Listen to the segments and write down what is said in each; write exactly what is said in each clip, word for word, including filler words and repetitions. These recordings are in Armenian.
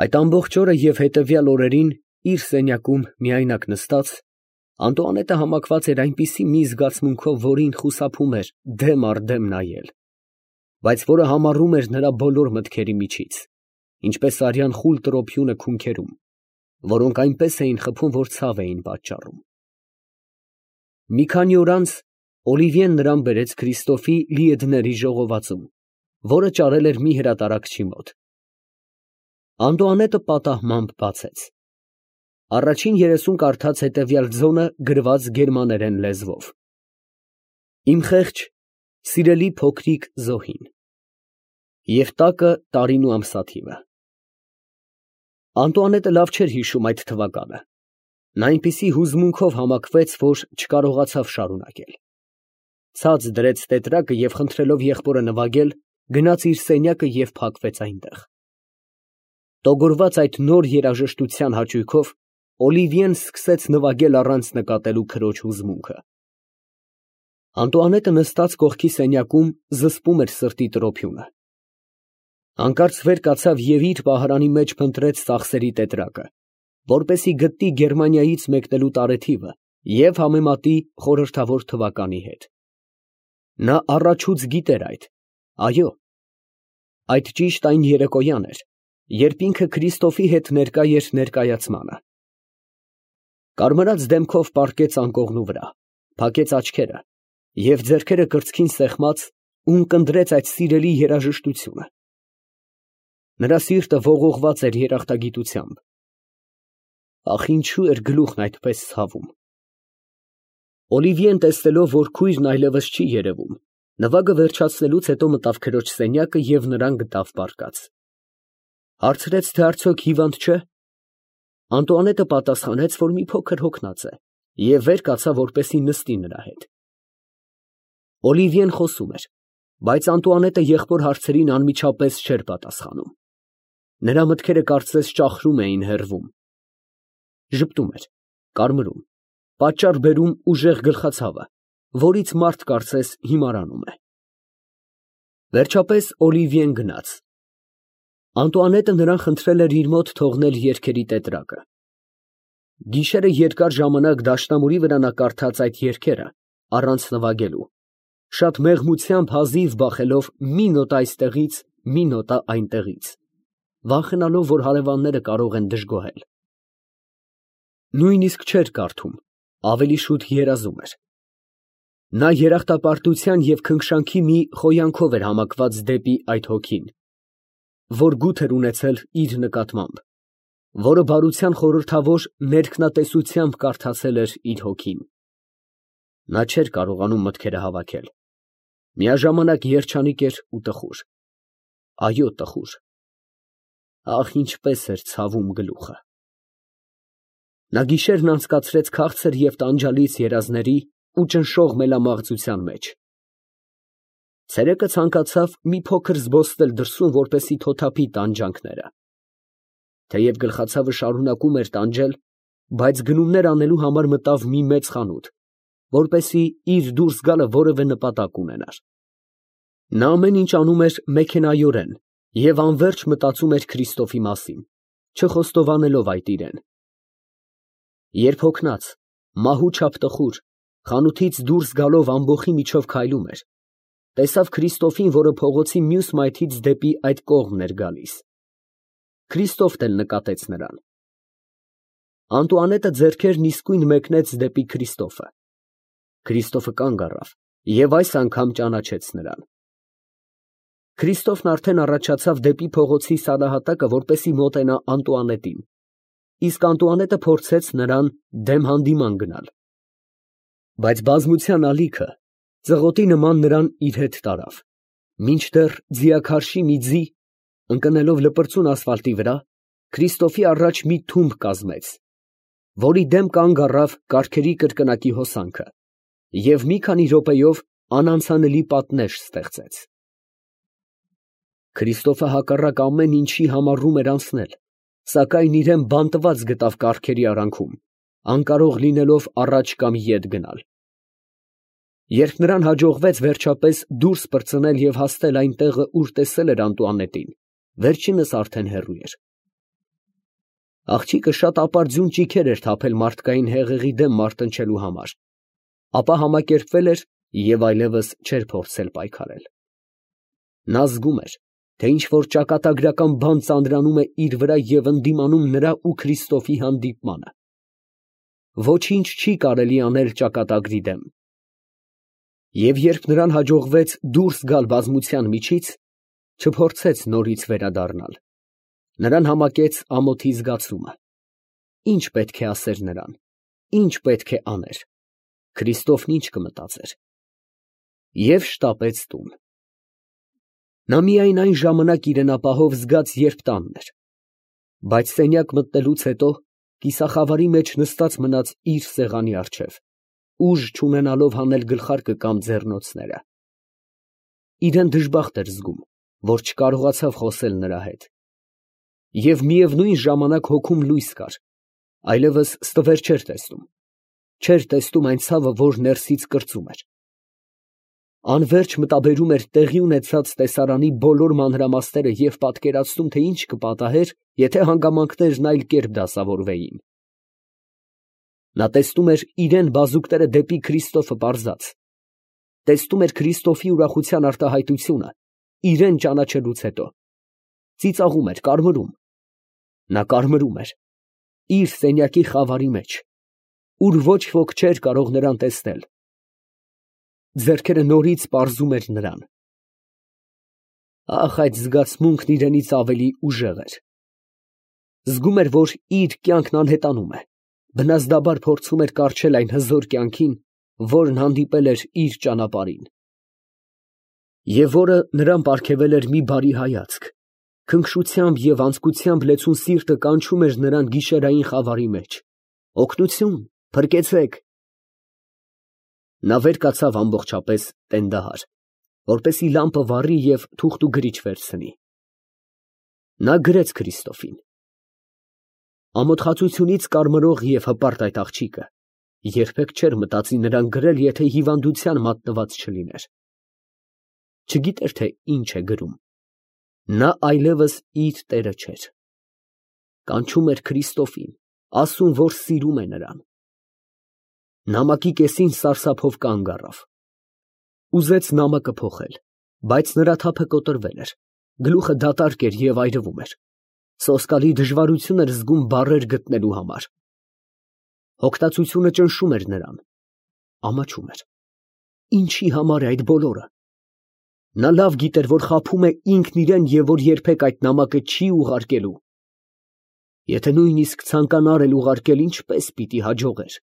Այդ ամբողջ օրը և հետևյալ օրերին, իր սենյակում միայնակ նստած, Անտուանետը համակված էր այնպիսի մի զգացմունքով, որին խուսափում էր դեմ առ դեմ նայել, բայց որը համառում էր նրա բոլոր մտքերի միջից, ինչպես արյան խուլ տրոփյունը քունքերում, որոնք այնպես էին խփում, որ ցավ էին պատճառում։ Մի քանի օր անց Օլիվիեն նրան բերեց Քրիստոֆի Լիեդների ժողովածուն, որը ճարել էր մի հրատարակչի մոտ։ Անտուանետը պատահմամբ բացեց։ Առաջին երեսում կարդաց հետևյալ ձոնը գրված գերմաներեն լեզվով. Իմ խեղճ, սիրելի փոքրիկ զոհին, և տակը տարին ու ամսաթիվը։ Անտուանետը լավ չէր հիշում այդ թվականը։ Նա այնպիսի հուզմունքով համակվեց, որ չկարողացավ շարունակել։ Ցած դրեց տետրակը և խնդրելով եղբորը նվագել, գնաց իր սենյակը և փակվեց այնտեղ։ Տոգորված այդ նոր երաժշտության հաճույքով, Օլիվիեն սկսեց նվագել առանց նկատելու քրոջ հուզմունքը։ Անտուանետը նստած կողքի սենյակում զսպում էր սրտի տրոփյունը։ Հանկարծ վեր կացավ և իր պահարանի մեջ փնտրեց ծախսերի տետրակը, որպեսզի գտնի Գերմանիայից մեկնելու տարեթիվը և համեմատի խորհրդավոր թվականի հետ։ Նա առաջուց գիտեր այդ, այո, այդ ճիշտ այն երեկոյան էր, երբ ինքը Քրիստոֆի հետ ներկա էր ներկայացմանը։ Կարմրած դեմքով պառկեց անկողնու վրա, փակեց աչքերը և ձեռքերը կրծքին սեղմած, ունկնդրեց այդ սիրելի երաժշտությունը։ Նրա սիրտը ողողված էր երախտագիտությամբ։ Ախ, ինչո՞ւ էր գլուխն այդպես ցավում։ Օլիվիեն տեսնելով, որ քույրն այլևս չի երևում, նվագը վերջացնելուց հետո մտավ քրոջ սենյակը և նրան գտավ պառկած։ Հարցրեց, թե արդյոք հիվանդ չէ։ Անտուանետը պատասխանեց, որ մի փոքր հոգնած է, և վեր կացավ, որպեսզի նստի նրա հետ։ Օլիվիեն խոսում էր, բայց Անտուանետը եղբոր հարցերին անմիջապես չէր պատասխանում։ Նրա մտքերը կարծես ճախրում էին հեռվում։ Ժպտում էր, կարմրում, պատճառ բերում ուժեղ գլխացավը, որից մարդ կարծես հիմարանում է։ Վերջապես Օլիվիեն գնաց։ Անտուանետը նրան խնդրել էր իր մոտ թողնել երգերի տետրակը։ Գիշերը երկար ժամանակ դաշնամուրի վրա նա կարդաց այդ երգերը, առանց նվագելու, շատ մեղմությամբ հազիվ բախելով մի նոտա այստեղից, մի նոտա այնտեղից, վախենալով, որ հարևանները կարող են դժգոհել։ Նույնիսկ չէր կարդում, ավելի շուտ երազում էր։ Նա երախտապարտության և քնքշանքի մի խոյանքով էր համակված դեպի այդ հոգին, որ գութ էր ունեցել իր նկատմամբ, որը բարության խորհրդավոր ներքնատեսությամբ կարդացել էր իր հոգին։ Նա չէր կարողանում մտքերը հավաքել։ Միաժամանակ երջանիկ էր ու տխուր։ Այո, տխուր։ Ախ, ինչպես էր ցավում գլուխը։ Նա գիշերն անցկացրեց քաղցր և տանջալից երազների ու ճնշող մելամաղձության մեջ։ Ցերեկը ցանկացավ մի փոքր զբոսնել դրսում, որպեսզի թոթափի տանջանքները։ Թեև գլխացավը շարունակում էր տանջել, բայց գնումներ անելու համար մտավ մի մեծ խանութ, որպեսզի իր դուրս գալը որևէ նպատակ ունենար։ Նա ամեն ինչ անում էր մեքենայորեն և անվերջ մտածում էր Քրիստոֆի մասին, չխոստովանելով այդ իրան։ Երբ հոգնած, մահուչափ տխուր, խանութից դուրս գալով ամբոխի միջով քայլում էր, տեսավ Քրիստոֆին, որը փողոցի մյուս մայթից դեպի այդ կողմն էր գալիս։ Քրիստոֆն էլ նկատեց նրան։ Անտուանետը ձեռքերն իսկույն մեկնեց դեպի Քրիստոֆը։ Քրիստոֆը կանգ առավ և այս անգամ ճանաչեց նրան։ Քրիստոֆն արդեն առաջացավ դեպի փողոցի սարահատակը, որպեսզի մոտենա Անտուանետին, իսկ Անտուանետը փորձեց նրան դեմ հանդիման գնալ։ Բայց բազմության ալիքը ծղոտի նման նրան իր հետ տարավ, մինչդեռ ձիաքարշի մի ձի, ընկնելով լպրծուն ասֆալտի վրա, Քրիստոֆի առաջ մի թումբ կազմեց, որի դեմ կանգ առավ կառքերի կրկնակի հոսանքը և մի քանի րոպեով անանցանելի պատնեշ ստեղծեց։ Քրիստոֆը հակառակ ամեն ինչի համառում էր անցնել, սակայն իրան բանտված գտավ կառքերի արանքում, անկարող լինելով առաջ կամ ետ գնալ։ Երբ նրան հաջողվեց վերջապես դուրս պրծնել և հասնել այն տեղը, ուր տեսել էր Անտուանետին, վերջինս արդեն հեռու էր։ Աղջիկը շատ ապարդյուն ճիգեր էր թափել մարդկային հեղեղի դեմ մարտնչելու համար, ապա համակերպվել էր և այլևս չէր փորձել պայքարել։ Նա զգում էր, թե ինչ֊որ ճակատագրական բան ծանրանում է իր վրա և ընդդիմանում նրա ու Քրիստոֆի հանդիպմանը։ Ոչինչ չի կարելի անել ճակատագրի դեմ։ Եվ երբ նրան հաջողվեց դուրս գալ բազմության միջից, չփորձեց նորից վերադառնալ, նրան համակեց ամոթի զգացումը։ Ի՞նչ պետք է ասեր նրան, ի՞նչ պետք է աներ, Քրիստոֆն ի՞նչ կմտածեր։ Եվ շտապեց տուն։ Նա միայն այն ժամանակ իրենապահով զգաց, երբ տանն էր, բայց սենյակ մտնելուց հետո կիսախավարի մեջ նստած մնաց իր սեղանի առջև, ուժ չունենալով հանել գլխարկը կամ ձեռնոցները։ Իրան դժբախտ էր զգում, որ չկարողացավ խոսել նրա հետ։ Եվ միևնույն ժամանակ հոգում լույս կար, այլևս ստվեր չէր տեսնում, չէր տեսնում այն ցավը, որ ներսից կրծում էր։ Անվերջ մտաբերում էր տեղի ունեցած տեսարանի բոլոր մանրամասները և պատկերացնում, թե ինչ կպատահեր, եթե հանգամանքներն այլ կերպ դասավորվեին։ Նա տեսնում էր իրան բազուկները դեպի Քրիստոֆը պարզած, տեսնում էր Քրիստոֆի ուրախության արտահայտությունը իրան ճանաչելուց հետո, ծիծաղում էր, կարմրում։ Նա կարմրում էր իր սենյակի խավարի մեջ, ուր ոչ ոք չէր կարող նրան տեսնել։ Ձեռքերը նորից պարզում էր նրան։ Ախ, այդ զգացմունքն իրենից ավելի ուժեղ էր։ Զգում էր, որ իր կյանքն անհետանում է, բնազդաբար փորձում էր կառչել այն հզոր կյանքին, որն հանդիպել էր իր ճանապարհին, և որը նրան պարգևել էր մի բարի հայացք, քնքշությամբ և անձկությամբ լեցուն սիրտը կանչում էր նրան գիշերային խավարի մեջ. «Օգնություն, փրկեցե՛ք»։ Նա վեր կացավ ամբողջապես տենդահար, որպեսզի լամպը վառի և թուղթ ու գրիչ վերցնի։ Նա գրեց Քրիստոֆին։ Ամոթխածությունից կարմրող և հպարտ այդ աղջիկը երբեք չէր մտածի նրան գրել, եթե հիվանդության մատնված չլիներ։ Չգիտեր, թե ինչ է գրում։ Նա այլևս իր տերը չէր։ Կանչում էր Քրիստոֆին, ասում, որ սիրում է նրան։ Նամակի կեսին սարսափով կանգ առավ։ Ուզեց նամակը փոխել, բայց նրա թափը կոտրվել էր, գլուխը դատարկ էր և այրվում էր։ Սոսկալի դժվարություն էր զգում բառեր գտնելու համար։ Հոգտացությունը ճնշում էր նրան, ամաչում էր։ Ինչի համար է այդ բոլորը։ Նա լավ գիտեր, որ խաբում է ինքն իրան և որ երբեք այդ նամակը չի ուղարկելու։ Եթե նույնիսկ ցանկանար էլ ուղարկել, ինչպես պիտի հաջողեր։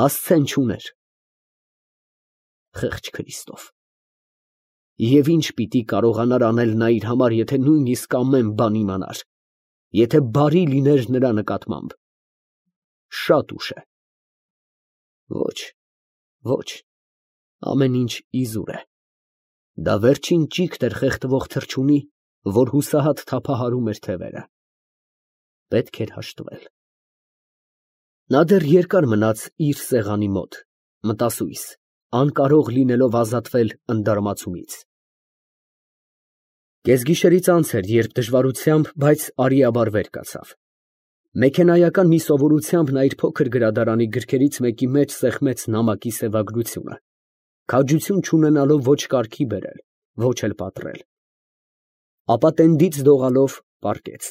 Հասցեն չուներ։ Խեղճ Քրիստոֆ։ Եվ ինչ պիտի կարողանար անել նա իր համար, եթե նույնիսկ ամեն բան իմանար, եթե բարի լիներ նրա նկատմամբ։ Շատ ուշ է։ Ոչ, ոչ, ամեն ինչ իզուր է։ Դա վերջին ճիգտ էր խեղդվող թռչունի, որ հուսահատ թափահարում էր թևերը։ Պետք էր հաշտվել։ Նա դեռ երկար մնաց իր սեղանի մոտ, մտասույս, անկարող լինելով ազատվել ընդդարմացումից։ Կեսգիշերից անց էր, երբ դժվարությամբ, բայց արիաբար վեր կացավ։ Մեքենայական մի սովորությամբ նա իր փոքր գրադարանի գրքերից մեկի մեջ սեղմեց նամակի սևագրությունը, քաջություն չունենալով ոչ կարգի բերել, ոչ էլ պատռել։ Ապա տենդից դողալով պառկեց։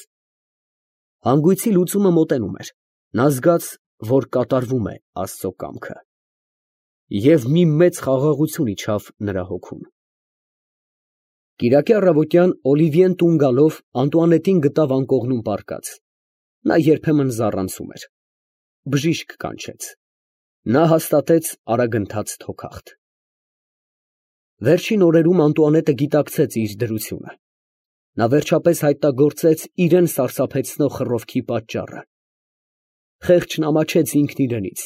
Հանգույցի լուծումը մոտենում էր, նա զգաց, որ կատարվում է Աստծո կամքը, և մի մեծ խաղաղություն իջավ նրա հոգուն։ Կիրակի առավոտյան Օլիվիեն տուն գալով Անտուանետին գտավ անկողնում պառկած։ Նա երբեմն զառանցում էր։ Բժիշկ կանչեց։ Նա հաստատեց արագընթաց թոքախտ։ Վերջին օրերում Անտուանետը գիտակցեց իր դրությունը։ Նա վերջապես հայտնագործեց իրան սարսափեցնող խռովքի պատճառը։ Խեղճն ամաչեց ինքն իրենից,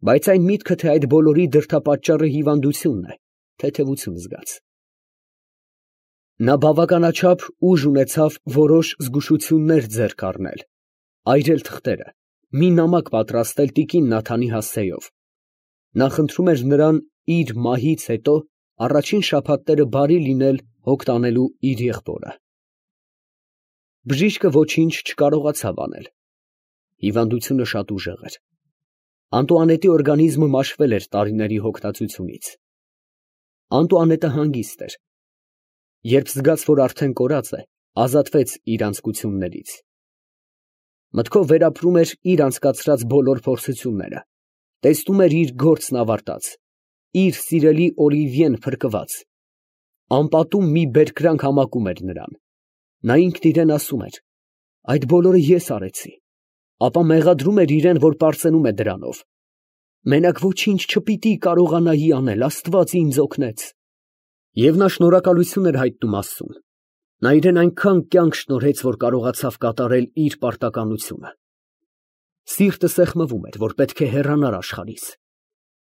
բայց այն միտքը, թե այդ բոլորի դրդապատճառը հիվանդությունն է, թեթևություն զգաց։ Նա բավականաչափ ուժ ունեցավ որոշ զգուշություններ ձեռք առնել, այրել թղթերը, մի նամակ պատրաստել տիկին Նաթանի հասցեով։ Նա խնդրում էր նրան իր մահից հետո առաջին շաբաթները բարի լինել հոգ տանելու իր եղբորը։ Բժիշկը ոչինչ չկարողացավ անել։ Հիվանդությունը շատ ուժեղ էր։ Անտուանետի օրգանիզմը մաշվել էր տարիների հոգնածությունից։ Անտուանետը հանգիստ էր։ Երբ զգաց, որ արդեն կորած է, ազատվեց իր անձկություններից։ Մտքով վերապրում էր իր անցկացրած բոլոր փորձությունները, տեսնում էր իր գործն ավարտած, իր սիրելի Օլիվիեն փրկված, անպատում մի բերկրանք համակում էր նրան։ Նա ինքն իրեն ասում էր. այդ բոլորը ես արեցի, ապա մեղադրում էր իրեն, որ պարծենում է դրանով։ Մենակ ոչինչ չպիտի կարողանայի անել, Աստված ինձ օգնեց։ Եվ նա շնորհակալություն էր հայտնում Աստծուն։ Նա իրեն այնքան կյանք շնորհեց, որ կարողացավ կատարել իր պարտականությունը։ Սիրտը սեղմվում էր, որ պետք է հեռանար աշխարհից,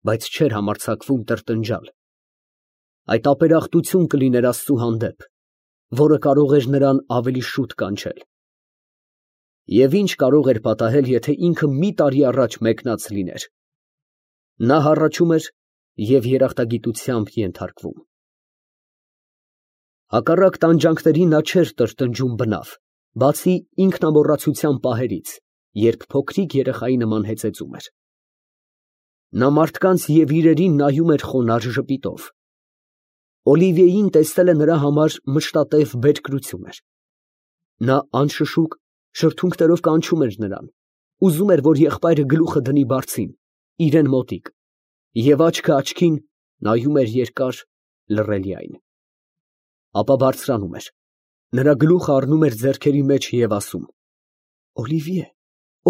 բայց չէր համարձակվում տրտնջալ։ Այդ ապերախտություն կլիներ Աստծու հանդեպ, որը կարող էր նրան ավելի շուտ կանչել։ Եվ ինչ կարող էր պատահել, եթե ինքը մի տարի առաջ մեկնած լիներ։ Նա հառաչում էր և երախտագիտությամբ ենթարկվում։ Հակառակ տանջանքների նա չէր տրտնջում բնավ, բացի ինքնամոռացության պահերից, երբ փոքրիկ երեխայի նման հեծեծում էր։ Նա մարդկանց և իրերին նայում էր խոնարհ ժպիտով։ Օլիվիեին տեսնելը նրա համար մշտատև բերկրություն էր։ Նա անշշուկ շրթունքներով կանչում էր նրան, ուզում էր, որ եղբայրը գլուխը դնի բարձին, իրան մոտիկ, և աչքը աչքին նայում էր երկար, լռելիայն։ Ապա բարձրանում էր, նրա գլուխը առնում էր ձեռքերի մեջ և ասում. «Օլիվիե,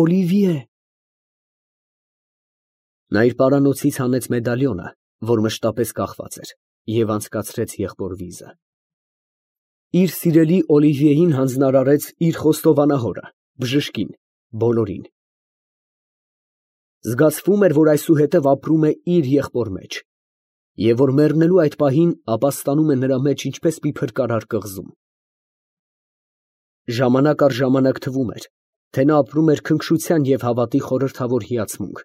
Օլիվիե»։ Նա իր պարանոցից հանեց մեդալիոնը, որ մշտապես կախված էր, և անցկացրեց եղբոր վիզը։ Իր սիրելի Օլիվիեին հանձնարարեց իր խոստովանահորը, բժշկին, բոլորին։ Զգացվում էր, որ այսուհետև ապրում է իր եղբոր մեջ, և որ մեռնելու այդ պահին ապաստանում է նրա մեջ ինչպես մի փրկարար կղզում։ Ժամանակ առ ժամանակ թվում էր, թե նա ապրում էր քնքշության և հավատի խորհրդավոր հիացմունք,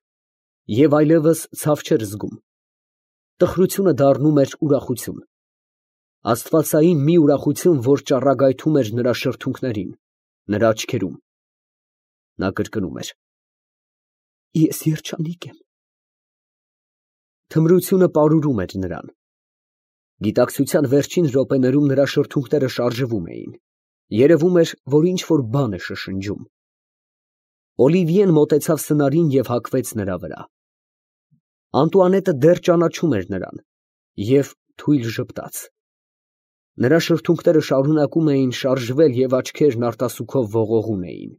և այլևս ցավ չէր զգում։ Տխրությունը դառնում էր ուրախություն, աստվածային մի ուրախություն, որ ճառագայթում էր նրա շրթունքներին, նրա աչքերում։ Նա կրկնում էր. «Ես երջանիկ եմ»։ Թմրությունը պարուրում էր նրան։ Գիտակցության վերջին րոպեներում նրա շրթունքները շարժվում էին, երևում էր, որ ինչ֊որ բան է շշնջում։ Օլիվիեն մոտեցավ սնարին և հագվեց նրա վրա։ Անտուանետը դեռ ճանաչում էր նրան և թույլ ժպտաց։ Նրա շրթունքները շարունակում էին շարժվել և աչքերն արտասուքով ողողուն էին։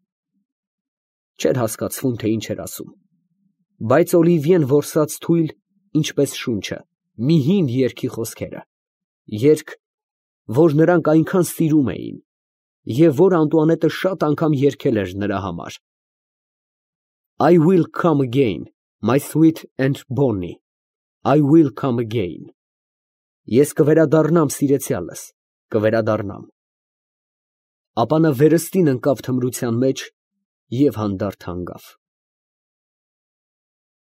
Չէր հասկացվում, թե ինչ էր ասում, բայց Օլիվիեն որսաց թույլ, ինչպես շունչը, մի հին երգի խոսքերը, երգ, որ նրանք այնքան սիրում էին, և որ Անտուանետը շատ անգամ երգել էր նրա համար. I will come again, my sweet and bonny, I will come again. Ես կվերադառնամ, սիրեցյալս, կվերադառնամ։ Ապա նա վերստին ընկավ թմրության մեջ և հանդարտ հանգավ։